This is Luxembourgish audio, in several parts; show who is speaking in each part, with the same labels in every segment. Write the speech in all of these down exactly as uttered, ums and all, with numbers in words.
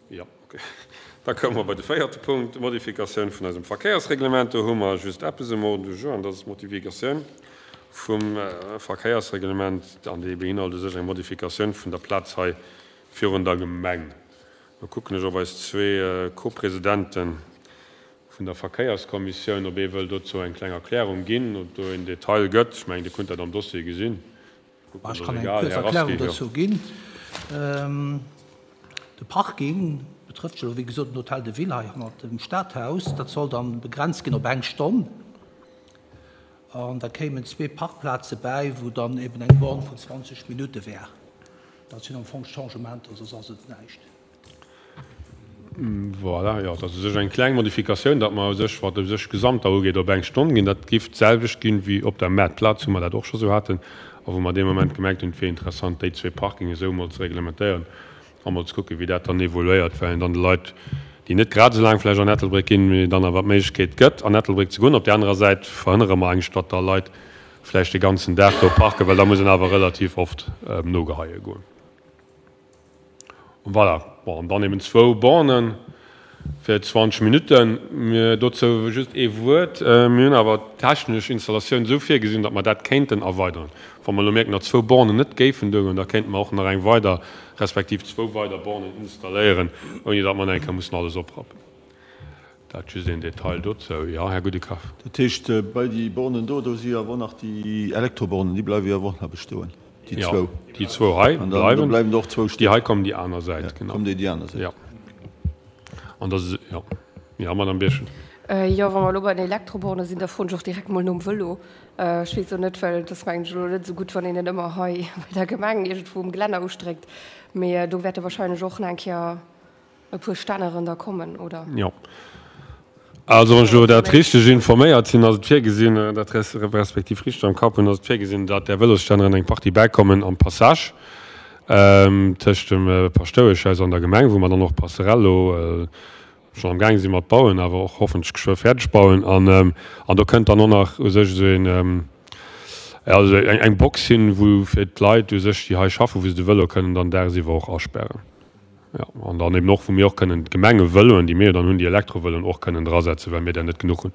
Speaker 1: Jo, okay. Da komme mer bei de véierte Punkt, d'Modifikatioun vun eisem Verkéiersreglement. Do hu mer just eppes um Ordre du jour, an dat ass d'Modifikatioun vum Verkéiersreglement, an déi beinhalt u sech eng Modifikatioun vun der Plaz hei virun der Gemeng. Da kucken ech op eis zwee Co-Presidenten vun der Verkéierskommissioun, ob ee wëll dozou eng kleng Erklärung ginn, ob do en Detail gëtt. Ech mengen, Dir kunnt dat am Dossier gesinn.
Speaker 2: Ech kann eng kuerz Erklärung dozou ginn. De Parking betrëfft jo, wéi gesot, den Hôtel de Ville hei hannert dem Stadhaus. Dat soll dann begrenzt ginn op eng Stonn. An da kéimen zwee Parkplaze bäi, wou dann eben eng Borne vun zwanzeg Minutte wär. Dat sinn am Fong d'Changementer, soss ass et näischt.
Speaker 1: Voilà, jo, dat ass u sech eng kleng Modifikatioun, datt mer u sech, wat u sech d'Gesamter ugeet, op eng Stonn ginn. Dat géif d'selwecht ginn wéi op der Maartplaz, wou mer dat och scho sou haten a wou mer dee Moment gemerkt hunn, et wier interessant, déi zwee Parkingen esou emol ze reglementéieren a mol ze kucken, wéi dat dann evoluéiert, well een dann de Leit, déi net grad esou laang vläicht an Ettelbréck ginn, mee dann awer d'Méiglechkeet gëtt, an Ettelbréck ze goen. Op där anerer Säit verhënnere mer eigentlech, datt da Leit vläicht de ganzen Dag do parken, well da muss een awer relativ oft nogeheie goen. Voilà, bon, an dann eben zwou Bornen fir zwanzeg Minutten. Mir dozou just ee Wuert, Mir hunn awer d'technesch Installatioun esou virgesinn, datt mer dat kéinten erweideren. Wa mer elo mierken, datt zwou Bornen net géifen duergoen, da kéinte mer och nach eng weider, respektiv zwou weider Bornen installéieren, ouni datt mer nach eng Kéier mussen alles oprappen. Dat just een Detail dozou. Jo, Här Goudekaf.
Speaker 3: Dat heescht, bei déi Bornen do, do si jo awer och nach déi Elektrobornen, déi bleiwe jo awer och nach bestoen, déi zwou.
Speaker 1: Jo, déi zwou hei
Speaker 3: An da
Speaker 1: bleiwen.
Speaker 3: bleiwen der och zwou
Speaker 1: Déi
Speaker 3: stoen.
Speaker 1: hei kommen déi aner Säit, genau.
Speaker 3: Kommen déi déi aner Säit.
Speaker 1: Jo. An da, jo. Jo, Madame Birchen.
Speaker 4: Jo, wa mer elo bei den Elektroborne sinn, da froen ech och direkt mol nom Vëlo. Ech weess och net, well et ass mengen ech elo net esou gutt, wann een en ëmmer hei bei der Gemeng iergendwou um Gelänner ustréckt. Mee do wäerte wahrscheinlech och nach eng Kéier e puer Stänneren da kommen, oder?
Speaker 1: Jo. Also wann ech elo dat richteg informéiert sinn, ass et virgesinn, dat respektiv richteg am Kapp hunn, ass et virgesinn, datt där Vëlosstänneren eng Partie bäikommen am Passage tëscht dem Paschtoueschhaus an der Gemeng, wou mer dann och d'Passerelle elo schonn am gaange si mat bauen, awer och hoffentlech geschwë fäerdeg bauen. An an do kënnt dann och nach u sech esou een, also eng eng Box hin, wou fir d'Leit u sech, déi hei schaffen, wou se de Vëlo kënnen dann dagsiwwer och aspären. Jo, an dann eben och, wou mir och kënnen d'Gemengevëloen, déi mir jo dann hunn, déi Elektrovëloen och kënnen drasetzen, well mir der net genuch hunn.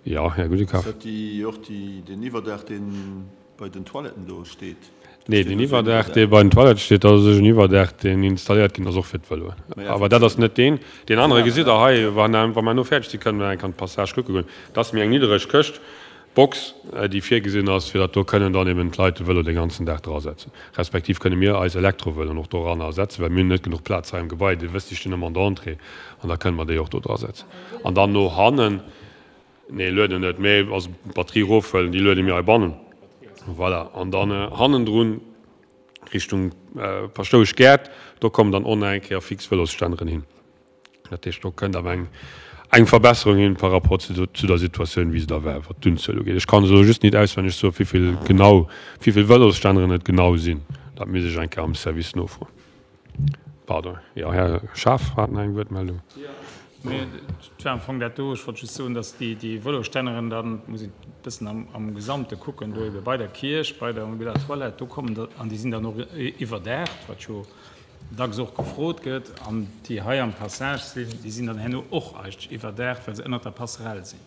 Speaker 1: Jo, Här Gudekaf.
Speaker 3: Ass dat déi och déi, deen Iwwerdaach, deen bei den Toiletten do steet?
Speaker 1: Nee, deen Iwwerdaach, dee bei den Toilettë steet, dat ass u sech en Iwwerdaach, deen installéiert ginn ass och fir d'Vëloen. Awer dat ass net deen. Deen anere gesitt Der hei, wa mer elo fäerdeg sinn, kënnen mer eng Kéier an d'Passage kucke goen. Dat ass méi eng niddereg Këscht, Box, déi virgesinn ass, fir datt do kënnen dann eben d'Leit de Vëlo de ganzen Dag drasetzen. Respektiv kënne mir eis Elektrovëloen och doranner setzen, well mir hunn net genuch Plaz hei am Gebai. Dir wësst, déi stinn ëmmer an der Entrée an da kënne mer déi och do drasetzen. An dann no hannen, nee, lueden net, mee also d'Batterie erofhuelen, déi luede mir heibannen. Voilà. An dann hannendrun Richtung Paschtouesch Gäert, do kommen dann och nach eng Kéier fix Vëlosstänneren hin. Dat heescht, do kënnt awer eng, eng Verbesserung hin par rapport zu, zu der Situatioun, wéi se da war, wat d'Unzuel ugeet. Ech kann se elo just nit auswenneg soen, wéivill genau, wéivill Vëlosstänneren et genau sinn. Dat misst ech eng Kéier am Service nofroen. Pardon, jo, Här Schaaf hat nach eng Wuertmeldung.
Speaker 5: Jo, mee et war am Fong dat do. Ech wollt just soen, dass déi, déi Vëlosstänneren dann, muss een e bëssen am, am Gesamte kucken, do ebe bei der Kierch, bei der, bei der Toilette, do kommen der, an déi sinn dann och iwwerdaacht, wat jo dacks och gefrot gëtt, an déi hei am Passage sinn, déi sinn dann herno och eigentlech iwwerdaacht, well se ënnert der Passerell sinn.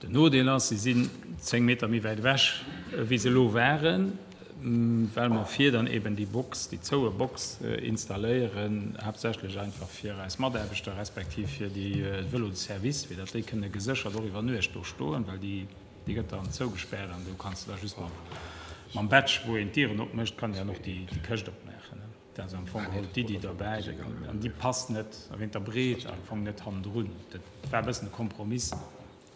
Speaker 5: Den Nodeel ass, se sinn zéng Meter méi wäit ewech, wéi se elo waren, well mer vir dann eben déi Box, déi zoue Box installéieren, haaptsächlech einfach fir eis Mataarbechter respektiv fir déi Vélos de service, fir datt déi kënne geséchert och iwwer Nuecht do stoen, well déi Déi gëtt dann zougespaart an do kanns de da just mam, mam Badge, wou een d'Dieren opmécht, kann een dann och déi, déi Këscht opmaachen. Dat ass am Fong geholl d'Iddi dobäi. An déi passt net, wéint der Breet am Fong net hannendrun. Dat war e bëssen e Kompromiss,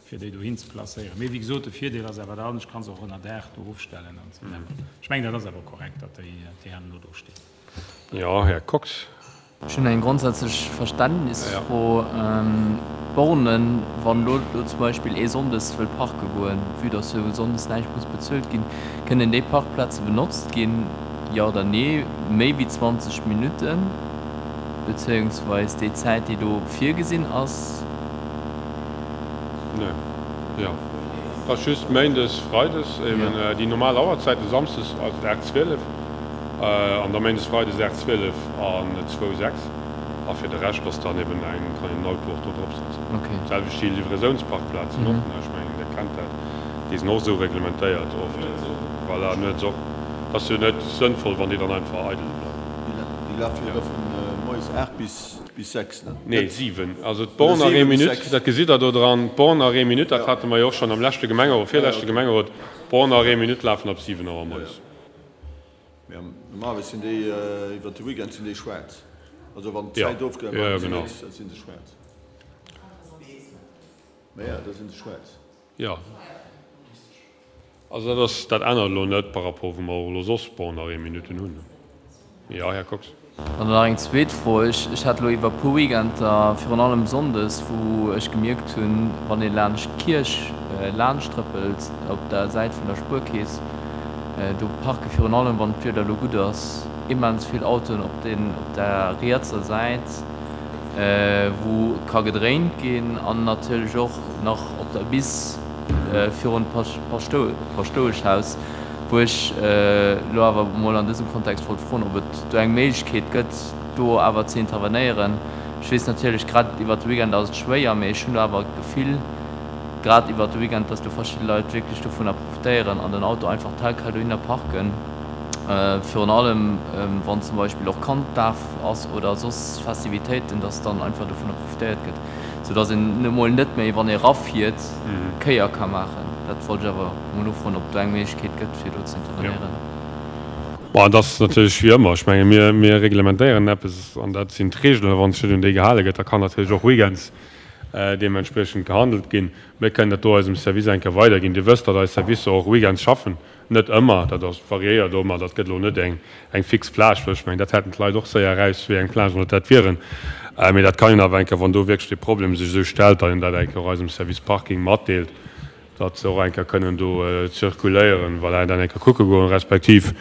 Speaker 5: fir déi dohin ze placéieren. Mee wéi gesot, de Virdeel ass awer dann, ech ka se och ënner Daach do ofstellen an esou weider. Ech mengen, dat ass awer korrekt, datt déi, déi herno do stinn.
Speaker 1: Jo, Här Kox.
Speaker 6: Ech hunn eng grondsätzlech Verständnisfro. D'Bornen, wann elo do zum Beispill ee sonndes wëll parke goen, vue dass jo sonndes näischt muss bezuelt ginn, kënnen déi Parkplaze benotzt ginn, jo oder nee, méi wéi zwanzeg Minutten, bezéiungsweis déi Zäit, déi do virgesinn ass?
Speaker 1: Nee, jo, et ass just méindes, freides eben déi normal Auerzäiten, samsdes also aacht, zwielef. An da méindes, freides aacht zwielef an zwou sechs. A fir de Rescht ass dann eben eng, kann een den Auto och do drop setzen. D'selwecht déi Livraisoun's-Parkplazen och, ech mengen, Dir kennt dat, déi sinn och esou reglementéiert oft. Voilà, nuets och. Et ass jo net sënnvoll, wann déi dann einfach eidel bleiwen.
Speaker 3: Déi lafe jo da vu moies aacht bis sechs, ne?
Speaker 1: Nee, siwen. Also d'Borne arrêt minute, dat gesitt Der do dran, d'Borne arrêt minute, dat hate mer jo och schonn am leschte Gemengerot, virleschte Gemengerot, d'Borne arrêt minute lafen ab siwen Auer moies.
Speaker 3: Mee normalerweis sinn déi iwwert de Weekend sinn déi schwaarz. Also wann d'Zäit ofgelaf ass, sinn se sinn se schwaarz. Mä jo, da sinn se schwaarz.
Speaker 1: Jo. Also dat ass, dat ännert elo net par rapport wou mer och elo soss Borne-arrêt-minuten hunn. Jo, Här Kox.
Speaker 6: An dann nach eng zweet Fro. Ech hat elo iwwer e puer Weekender, virun allem sonndes, wou ech gemierkt hunn, wann ee laanscht d'Kierch laanscht trëppelt, op der Säit vun der Spuerkeess, do parke virun allem, wann d'Wieder elo gutt ass, immens vill Autoen op den, op der rietser Säit, wou ka gedréint ginn an natierlech och nach op der Bis virun d'Paschtoueschhaus. Wou ech elo awer emol an dësem Kontext wollt froen, ob et do eng Méiglechkeet gëtt, do awer ze intervenéieren. Ech weess natierlech, grad iwwert de Weekend ass et schwéier, mee ech hunn do awer d'Gefill, grad iwwert de Weekend, dass do verschidde Leit wierklech dovunner profitéieren an den Auto einfach tel quel dohinner parken, virun allem wann zum Beispill och Kanddaf ass oder soss Festivitéiten, dass dann einfach dovunner profitéiert gëtt. Sou dass een emol net méi, wann ee rafiert, Kéier ka maachen. Dat wollt ech awer emol nofroen, ob do eng Méiglechkeet gëtt, fir do ze intervenéieren.
Speaker 1: Bon, et ass natierlech wéi ëmmer. Ech menge mir, mir reglementéieren eppes an dat sinn d'Reegelen. A wann sech net un déi gehale gëtt, da kann natierlech och weekends deementspriechend gehandelt ginn. Mir kënnen dat do eisem Service eng Kéier weiderginn. Dir wësst, datt eis Servicer och weekends schaffen. Net ëmmer, dat ass, variéiert och, ma dat gëtt elo net eng, eng fix Plage, well ech mengen, dat hätten d'Leit och séier eraus, wéi eng Plage dat dat wieren. Mee dat kann een awer eng Kéier, wann do wierklech dee Problem sech esou stellt, datt een dat eng Kéier och eisem Service Parking matdeelt, datt se och eng Kéier kënnen do zirkuléieren, voilà, dat eng Kéier kucke goen. Respektiv,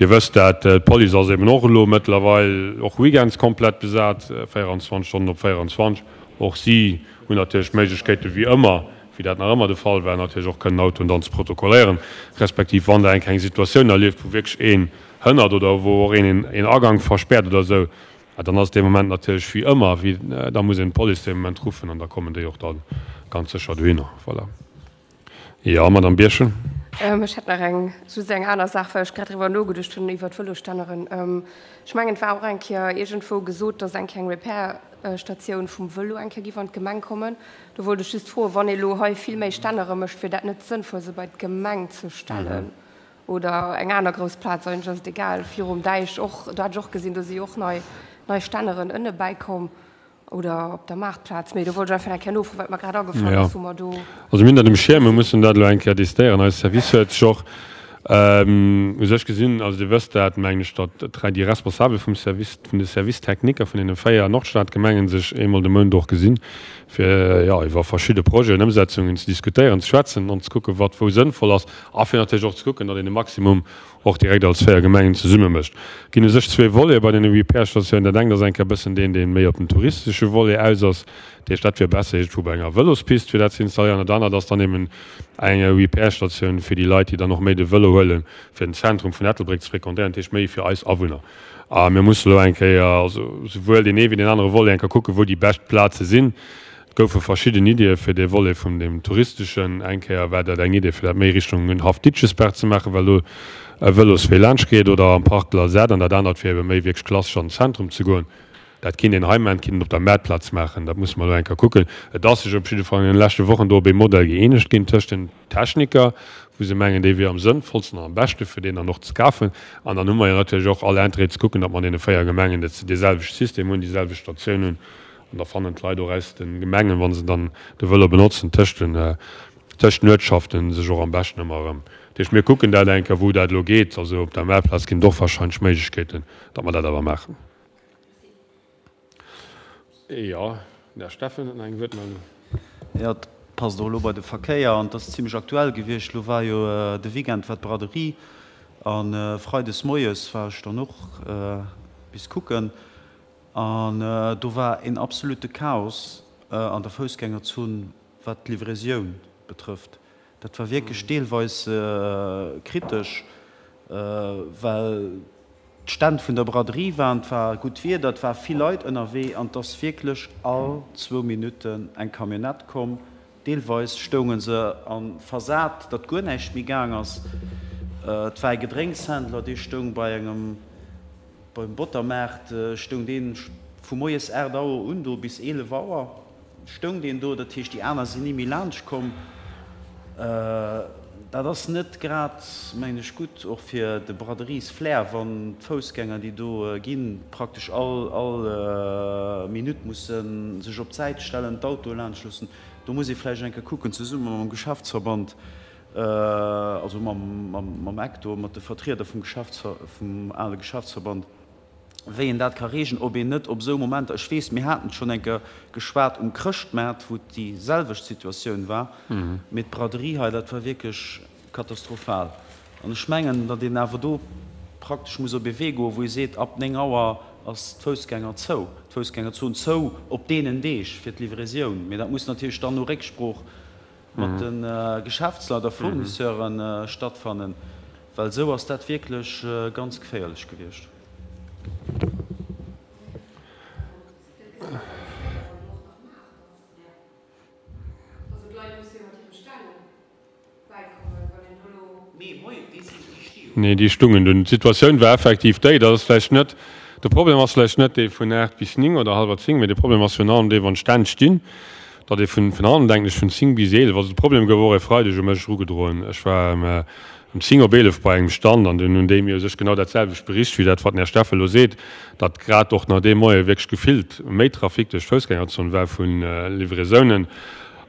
Speaker 1: Dir wësst dat, d'Police ass eben och elo mëttlerweil och weekends komplett besat, véieranzwanzeg Stonnen op véieranzwanzeg. Och si hunn natierlech d'Méiglechkeete wéi ëmmer, wéi dat nach ëmmer de Fall war, natierlech och kënnen Autoen dann ze protokolléieren, respektiv wann Der eng kleng Situatioun erlieft, wou wierklech een hënnert oder wou och een een Agank verspäert oder esou, dann ass et dee Moment natierlech wéi ëmmer, wéi da muss een d'Police dee Moment ruffen an da kommen déi och da ganz sécher dohinner. Voilà. Jo, Madamm Birchen.
Speaker 4: Ech hätt nach eng, just eng aner Saach, well ech grad driwwer nogeduecht hunn, iwwer d'Vëlosstänneren. Ech mengen, et war och eng Kéier iergendwou gesot, dass eng Kéier eng Repair-Statioun vum Vëlo eng Kéier giff an d'Gemeng kommen. Do wollt ech just froen, wann ee lo hei vill méi Stännere mécht, wier dat net sënnvoll, se bei d'Gemeng ze stellen oder eng aner grouss Plaz? Eigentlech ass et egal. Virum Däich och, do hat ech och gesinn, do si jo och nei, nei Stänneren ënne bäikomm oder op der Maartplaz. Mee do wollt ech einfach eng Kéier nofroen, wat mer grad agefall ass, wou mer do.
Speaker 1: Also mir hunn dat um Schierm, mir mussen dat elo eng Kéier décidéieren. Eis Service huet sech och u sech gesinn, also Dir wësst dat, mengen ech, datt dräi, déi Responsabel vum Service, vun de Services techniques vun deene véier Nordstadgemengen sech eemol de Mount och gesinn, fir, jo, iwwer verschidde Projeten, Ëmsetzungen ze diskutéieren, ze schwätzen an ze kucken, wat wou sënnvoll ass a fir natierlech och ze kucken, datt een de Maximum och direkt als véier Gemengen zesumme mécht. Et ginn u sech zwee Volete bei deene Repair-Statiounen. Dat engt ass eng Kéier e bëssen deen, dee méi op den touristesche Volet aus ass. Dat heescht, dat wier besser iergendwou bei enger Vëlospist, fir dat ze installéieren. Dat anert ass dann eben eng Repair-Statioun fir déi Leit, déi dann och méi de Vëlo huelen, fir den Zentrum vun Ettelbréck ze fréquentéieren, dat heescht méi fir eis Awunner. A mir musse elo eng Kéier, also souwuel deen ee wéi deen anere Volet, eng Kéier kucken, wou déi bescht Plaze sinn. Et goufe verschidden Iddie fir dee Volet vun deem touristeschen. Eng Kéier war dat eng Idee, fir dat méi Richtung Haff Ditschesberg ze maachen, well do e Vëloswee laanscht geet, oder am Parc de la Zad. An dat anert wier ebe méi wierklech klassesch an den Zentrum ze goen. Dat kinnt een hei maachen, kinnt een op der Maartplaz maachen. Dat musse mer elo eng Kéier kucken. Et ass sech op jidde Fall an deene leschte Wochen do op ee Modell gëeenegt ginn tëscht den Techniker, wou se mengen, dee wier am sënnvollsten an am beschte fir deen dann och ze kafen. An dann hu mer jo natierlech och all Interêt ze kucken, datt mer an deene véier Gemengen dee selwechte System hunn, déi selwecht Statioun hunn. An da fannen d'Leit och aus de Gemengen, wa se dann de Vëlo benotzen, tëscht den, tëscht den Uertschaften sech och am beschten ëmmer erëm. Dat heescht, mir kucken dat eng Kéier, wou dat elo geet. Also op der Maartplaz ginn et och wahrscheinlech Méiglechkeeten, datt mer dat awer maachen. Jo, den Här Steffen huet nach eng Wuertmeldung.
Speaker 7: Jo, et passt och elo bei de Verkéier an et ass zimlech aktuell gewiescht. Elo war jo de Weekend war d'Braderie a freides moies war ech dann och bis kucken an do war een absolute Chaos an der Foussgängerzon wat d'Livraisioun betrëfft. Dat war wierklech deelweis kritesch, well. d'Stänn vun der Braderie waren, et war gutt Wieder, et war vill Leit ënnerwee an et ass wierklech all zwou Minutten eng Camionnette komm. Deelweis stounge se a versat, datt guer näischt méi gaang ass. Et war e Gedrénkshändler, dee stoung bei engem, beim Bottermaart stoung dee vu moies aacht Auer un do bis eelef Auer. Stoung deen do, dat heescht déi aner sinn ni méi laanscht komm. Dat ass net grad, mengen ech, gutt och fir de Braderies-Flair, wann d'Foussgänger, déi do ginn, praktesch all all Minutt musse sech op d'Säit stellen, d'Autoe laanscht loossen. Do muss ee vläicht eng Kéier kucken, zesumme mam Geschäftsverband, also mam mam Ecto, mat de Vertrieder vum Geschäfts vum ale Geschäftsverband, wéi een dat ka regeln, ob een net op esou Momenter, ech weess, mir haten et schonn eng Kéier geschwat um Chrëschtmaart, wou et déi selwecht Situatioun war, mee d'Braderie hei, dat war wierklech katastrophal. An ech mengen, datt een awer do praktesch muss op ee Wee goen, wou ee seet, ab néng Auer ass d'Foussgänger zou, d'Foussgängerzon zou op deenen Deeg fir d'Livraisioun. Mee dat muss natierlech dann no Récksprooch mat de Geschäftsleit a Fournisseure stattfannen, well esou ass dat wierklech ganz geféierlech gewiescht.
Speaker 1: Nee, déi stungen dunn. D'Situatioun war effektiv déi, datt ass vläicht net, de Problem ass vläicht net dee vun aacht bis néng oder hallwer zéng, mee de Problem ass virun allem dee wann d'Stänn stinn, datt ee vun virun allem, denken ech, vun zéng bis eelef, also de Problem gouf och e Freideg u mech erugedroen, ech war ëm zéng op eelef bei engem Stand an dunn hunn déi mir u sech genau dat selwecht bericht wéi dat wat den Här Steffel elo seet, datt grad och nach dee Moie wierklech gefillt méi Trafic duerch d'Foussgängerzon war vu Livraisounen.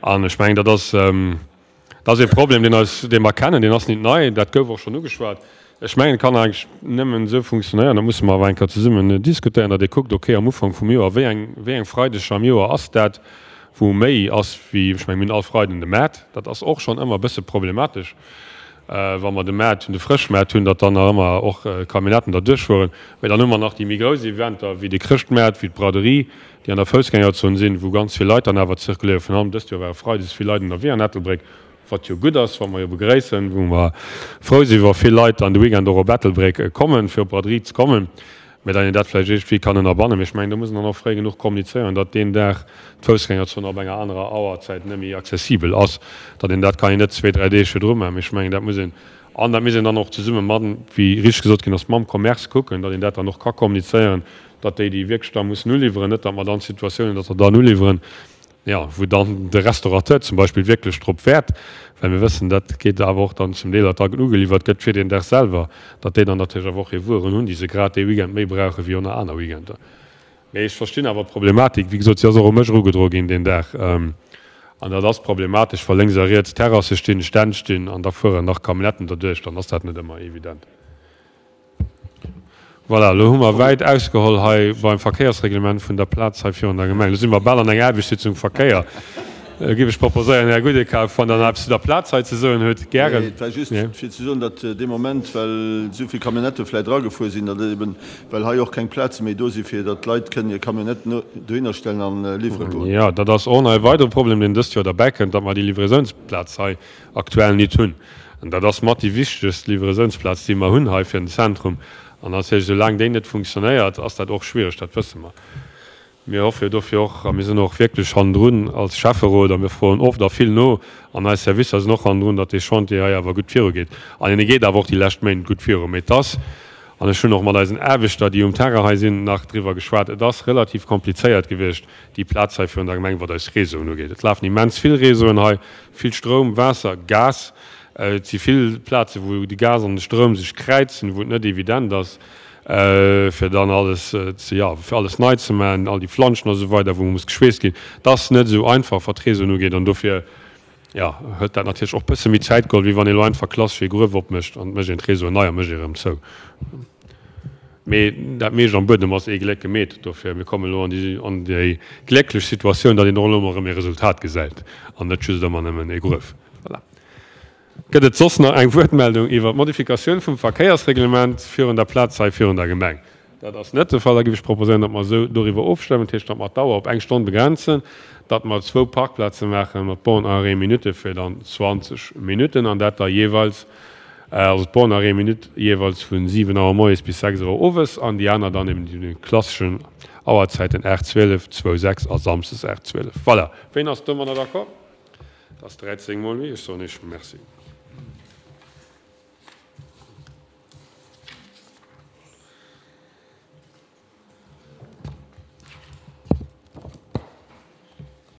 Speaker 1: An ech mengen, dat ass, dat ass ee Problem, deen eis, dee mer kennen, deen ass nit nei, dat gouf och schonn ugeschwat. Ech mengen, et kann eigentlech nëmmen esou funktionéieren, dat musse mer awer eng Kéier zesummen diskutéieren, datt ee kuckt, okay, am Ufank vum Joer, wéi eng, wéi eng Freideger am Joer ass dat, wou méi ass wéi, ech mengen, mir hunn all Freiden de Maart, dat ass och schonn ëmmer e bësse problematesch, wa mer de Maart hunn, de Frëschmaart hunn, datt dann nach ëmmer och Camionnetten derduerch fueren. Mä dann hu mer nach déi méi grouss Eventer wéi de Chrëschtmaart, wéi d'Braderie, déi an der Foussgängerzon sinn, wou ganz vill Leit dann awer zirkuléieren. Virun allem dëst Joer ware freides vill Leit ënnerwee an Ettelbréck, wat jo gutt ass, wat mer jo begréissen, wou mer frou sinn, wa vill Leit dann de Weekend och op Ettelbréck kommen, fir op d'Braderie ze kommen. Mä datt een dat vläicht iergendwéi kann ënnerbannen. Mee ech mengen, do muss een dann och fréi genuch kommunizéieren, datt deen Dag d'Foussgängerzon ab enger anerer Auerzäit net méi accessibel ass. Datt een dat kann een net zwee, dräi Deeg virdru maachen. Mee ech mengen, dat muss een, an dat misst een dann och zesumme mat, wéi richteg gesot ginn ass, mam Commerce kucken, datt een dat dann och ka kommunizéieren, datt déi, déi wierklech da mussen uliwweren, net datt mer dann d'Situatioun hunn, datt der dann uliwweren, jo, wou dann de Restaurateur zum Beispill wierklech drop wäert, well mir wëssen, dat geet awer och dann zum Deel, datt da ugeliwwert gëtt fir deen Dag selwer, datt déi dann natierlech awer och hir Wueren hunn, déi se grad dee Weekend méi brauche wéi ënner aner Weekender. Mee ech verstinn awer d'Problematik. Wéi gesot, si ass och u mech erugedroe ginn deen Dag. An dat ass problematesch, wa lénks a riets Terrasse stinn, Stänn stinn an da fueren nach Camionnetten derduerch, dann ass dat net ëmmer evident. Voilà, elo hu mer wäit ausgeholl hei beim Verkéiersreglement vun der Plaz hei virun der Gemeng. Elo si mer bal an enger Aarbechtssitzung Verkéier. Da géif ech proposéieren, Här Gudekauf, wann Der nach eppes zu der Plaz hei ze soen hutt, gären.
Speaker 3: Nee, et war just fir ze soen, datt dee Moment, well esou vill Camionnettë vläicht eragefuer sinn, datt et eben, well hei och keng Plaze méi do si fir datt d'Leit kënnen hir Camionnetten dohinner stellen a liwwere goen.
Speaker 1: Jo, dat ass och nach e weidere Problem, deen dëst Joer derbäikënnt, datt mer déi Livraisounsplaz hei aktuell nit hunn. An dat ass mat déi wichtegst Livraisounsplaz, déi mer hunn hei fir den Zentrum. An natierlech, soulaang déi net funktionéiert, ass dat och schwiereg, dat wësse mer. Mir hoffe jo dofir och, a mir sinn och wierklech hannendrun als Schäfferot a mir froen oft a vill no, an eis Servicer sinn och hannendrun, datt dee Chantier hei awer gutt virugeet. An en geet awer och déi lescht Méint gutt viru. Mee et ass, an ech hunn och mat eisen Aarbechter, déi um Terrain hei sinn, nach driwwer geschwat, et ass relativ komplizéiert gewiescht, déi Plaz hei virun der Gemeng, wat eis Réseauen ugeet. Et lafen immens vill Réseauen hei, vill Stroum, Waasser, Gas. Et si vill Plazen, wou de Gas an de Stroum sech kräizen, wou et net evident ass, fir dann alles ze, jo, fir alles nei ze maachen, all déi Flanschen a sou weider, wou muss geschweesst ginn. Et ass net esou einfach, wat d'Réseauen ugeet. An dofir, jo, huet dat natierlech och e bësse méi Zäit geholl, wéi wann ee lo einfach klassesch ee Gruef opmécht an et mécht een d'Réseauen nei a mécht ee erëm zou. Mee dat meescht am Buedem ass ee Gléck gemeet. Dofir, mir kommen elo an déi, an déi glécklech Situatioun, datt een och elo emol erëm ee Resultat gesäit an net just ëmmer nëmmen ee Gruef. Voilà. Gëtt et soss nach eng Wuertmeldung iwwer d'Modifikatioun vum Verkéiersreglement virun der Plaz hei virun der Gemeng? Dat ass net de Fall. Da géif ech proposéieren, datt mer esou doriwwer ofstëmmen, dat heescht, datt mer d'Auer op eng Stonn begrenzen, datt mer zwou Parkplaze maache mat Borne à arrêt minute fir dann zwanzeg Minutten an dat da jeeweils Also d'Borne Arrêt Minute jeeweils vu siwen Auer moies bis sechs Auer owes an déi aner dann eben déi klasseschen Auerzäiten aacht, zwielef, zwou, sechs a samsdes aacht, zwielef. Voilà. Ween ass domadder d'accord? Dat ass dräizéng mol méi. Ech soen Iech Merci.